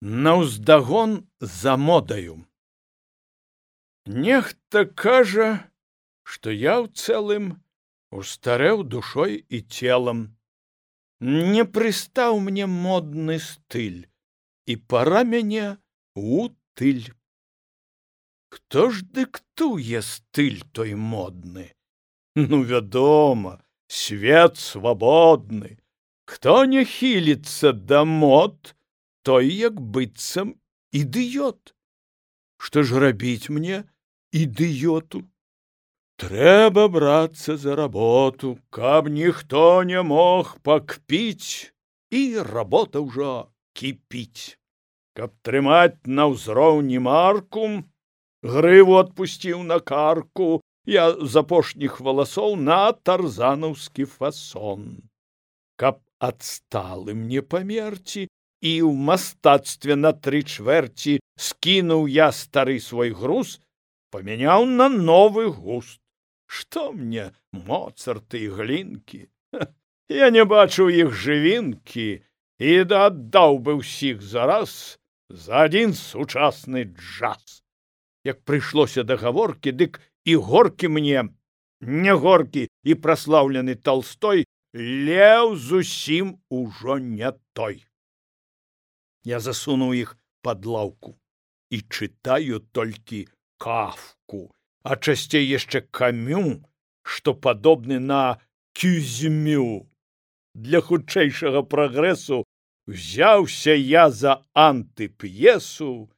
Наўздагон за модаю. Нехта кажа, што я ў цэлым устарэў душой і целам. Не прыстаў мне модны стыль, і пара мяне у тыль. Хто ж дыктуе стыль той модны? Ну, вядома, свет свабодны. Хто не хіліцца да мод, той як быццам ідыёт. Што ж рабіць мне, ідыёту? Трэба брацца за работу, каб ніхто не мог пакпіць, і работа ўжо кіпіць. Каб трымаць на ўзроўні марку, грыву адпусціў на карку, я з апошніх валасоў на тарзанаўскі фасон. Каб адсталым не памерці, і ў мастацтве на 3/4 скінуў я стары свой груз, памяняў на новы густ. Што мне моцарты і глінкі? Я не бачыў іх жывінкі і аддаў бы ўсіх зараз за адзін сучасны джаз. Як прыйшлося да гаворкі, дык і горкі мне, не горкі і праслаўлены Талстой, леў зусім ужо не той. Я засунуў іх пад лаўку і чытаю толькі Кафку, а часцей яшчэ Камю, што падобны на Кюзьмю. Для хутчэйшага прагрэсу взяўся я за антып'есу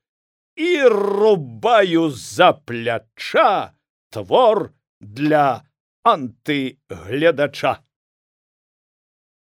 і рубаю за пляча твор для антыгледача.